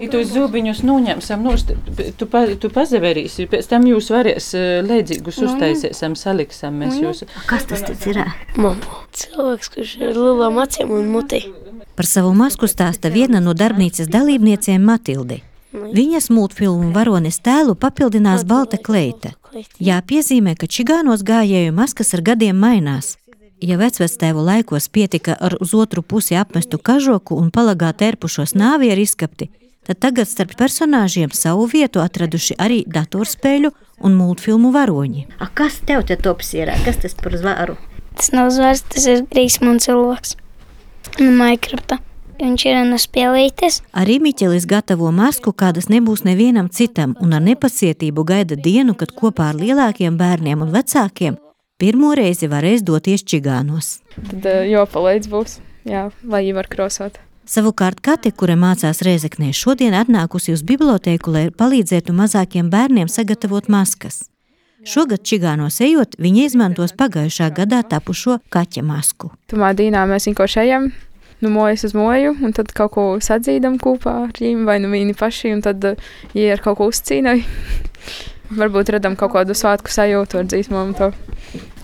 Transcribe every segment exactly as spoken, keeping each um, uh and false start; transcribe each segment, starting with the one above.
Ja tos zūbiņus noņemsim, tu, pa, tu pazaverīsi, pēc tam jūs varēs leidzīgus uztaisēsim, saliksim mēs jūs. Kas tas tad ir? Mama. Cilvēks, kurš ir lielām acīm un mutī. Par savu masku stāsta viena no darbnīcas dalībniecēm Matilde. Viņas multfilmu varones tēlu papildinās balta kleita. Jāpiezīmē, ka čigānos gājēju maskas ar gadiem mainās. Ja vecvectēvu laikos pietika ar uz otru pusi apmestu kažoku un palagā terpušos nāvieru izskapti, tad tagad starp personāžiem savu vietu atraduši arī datorspēļu un multfilmu varoņi. A, kas tev te tops ir? Kas tas par zvaru? Tas nav zvars, tas ir Rīksmund cilvēks. No Minecrafta. Viņš ir no spēlītes. Arī Miķelis gatavo masku, kādas nebūs nevienam citam, un ar nepacietību gaida dienu, kad kopā ar lielākiem bērniem un vecākiem pirmo reizi varēs doties čigānos. Tad jāpalīdz būs, jā, lai viņi var krosot. Savukārt Kate, kura mācās Rēzeknē, šodien atnākusi uz bibliotēku, lai palīdzētu mazākiem bērniem sagatavot maskas. Šogad čigānos ejot, viņa izmantos pagājušā gadā tapušo kaķa masku. Tumā dīnā mēs vienkārši ejam no mojas uz moju, un tad kaut ko sadzīdam kopā ar viņiem, vai nu viņi paši, un tad viņi ar kaut ko uzcīnai. Varbūt radam kaut kādu svētku sajūtu ar dzīsmām to,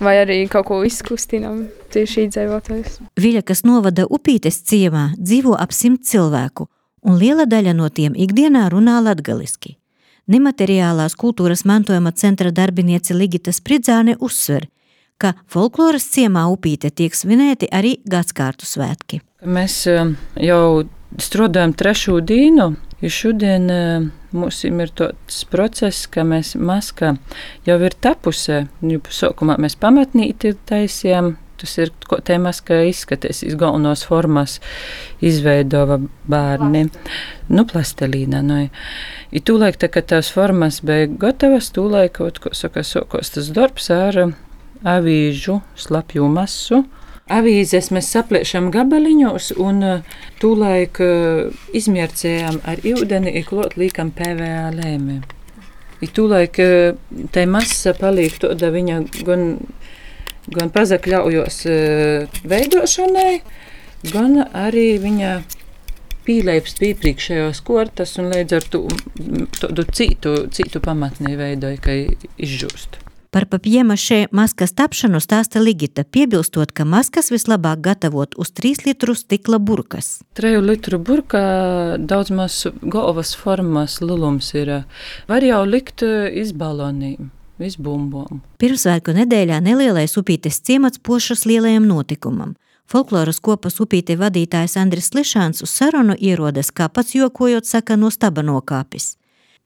vai arī kaut ko izkustinam tieši iedzīvotājus. Viļakas novada Upītes ciemā dzīvo ap simt cilvēku, un liela daļa no tiem ikdienā runā latgaliski. Nemateriālās kultūras mantojuma centra darbiniece Ligita Spridzāne uzsver, ka folkloras ciemā Upīte tiek svinēti arī gadskārtu svētki. Mēs jau strādājam trešo dienu, jo šodien mums ir tāds process, ka mēs maska jau ir tapusē. Sākumā mēs pamatnīti taisījām, tas ir, ko te maska izskatīs, galvenos formas izveidova bērni, nu plastelīna. Nu. I tūlaik, tā, kad tās formas bija gatavas, tūlaik, ko saka, sākos tas darbs ar avīžu slapju masu. Avīzes mēs sapliešam gabaliņos un tūlaik izmiercējām ar ūdeni un klāt līkam P V A lēmē. I tūlaik tai masa paliek tāda viņa gan, gan pazakļaujos veidošanai, gan arī viņa pīleips pīpriekšējos kortas un līdz ar to tādu citu, citu pamatnī veidoju, ka izžūst. Par papjēmašē maskas tapšanu stāsta Ligita, piebilstot, ka maskas vislabāk gatavot uz trīs litru stikla burkas. Treju litru burkā daudz maz galvas formas lulums ir. Var jau likt iz balonīm, iz bumbom. Pirmsvētku nedēļā nelielais Upītes ciemats pošas lielajam notikumam. Folkloras kopas Upīte vadītājs Andris Lišāns uz sarunu ierodas, kā pats jokojot saka, no staba nokāpis.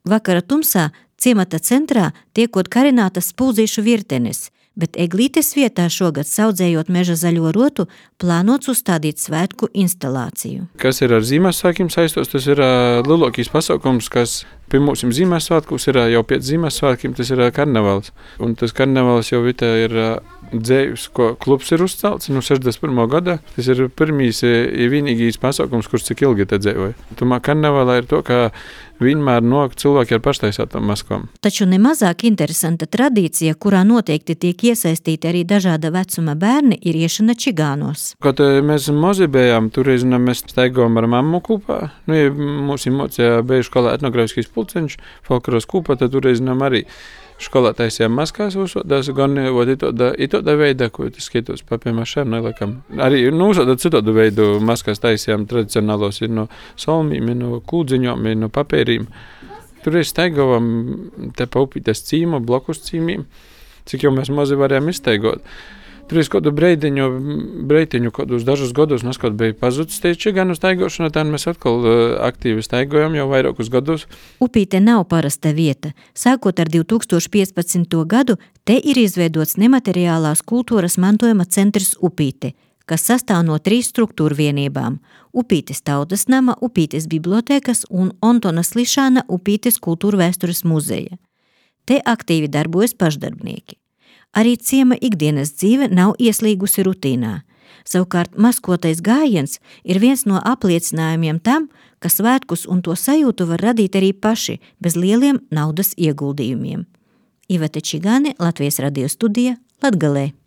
Vakara tumsā ciemata centrā tiekot karinātas spūdzīšu virtenes, bet eglītes vietā šogad saudzējot meža zaļo rotu, plānots uzstādīt svētku instalāciju. Kas ir ar Zīmēsvētkiem saistos, tas ir uh, lielākais pasākums, kas pie mums Zīmēsvētkos ir uh, jau pēc Zīmēsvētkiem, tas ir uh, karnevals. Un tas karnevals jau vita ir uh, dzējus, ko klubs ir uzcelts no sešdesmit pirmā gada. Tas ir pirmīs ja vienīgīs pasākums, kurš cik ilgi te dzēvoja. Tomēr karnevalā ir to, ka vienmēr nok cilvēki ar paštaisātām maskām. Taču nemazāk interesanta tradīcija, kurā noteikti tiek iesaistīti arī dažāda vecuma bērni, ir iešana čigānos. Kad mēs mazi bijām, toreiz mēs staigājām ar mammu kopā. Nu, ja mums ir mocījā bija skolā etnogrāfiskais pulceņš, folkloras kopā, tad toreiz arī skolā taisījām maskās uzsodās, gan itodā veidā, ko tas skaitos papjēmašēm nelekam. Arī nu, uzsodāt citādu veidu maskās taisījām tradicionālos ir no solmīm, ir no kūdziņom, ir no papērīm. Toreiz staigājām te pa Upītes cīmu, blokus cīmīm, cik jau mēs mazi varējām izstaigot. Toreiz kādu breidiņu, breitiņu, kādus dažus gadus mēs kaut bija pazuds tieši gan uz staigošanu, tad mēs atkal aktīvi staigojam jau vairākus gadus. Upīte nav parasta vieta. Sākot ar divi tūkstoši piecpadsmito gadu, te ir izveidots nemateriālās kultūras mantojuma centrs Upīte, kas sastāv no trīs struktūru vienībām – Upītes tautas nama, Upītes bibliotēkas un Ontonas Lišāna Upītes kultūra vēstures muzeja. Te aktīvi darbojas pašdarbnieki. Arī ciema ikdienas dzīve nav ieslīgusi rutīnā. Savukārt maskotais gājiens ir viens no apliecinājumiem tam, ka svētkus un to sajūtu var radīt arī paši, bez lieliem naudas ieguldījumiem. Ivete Čigāne, Latvijas radio studija, Latgalē.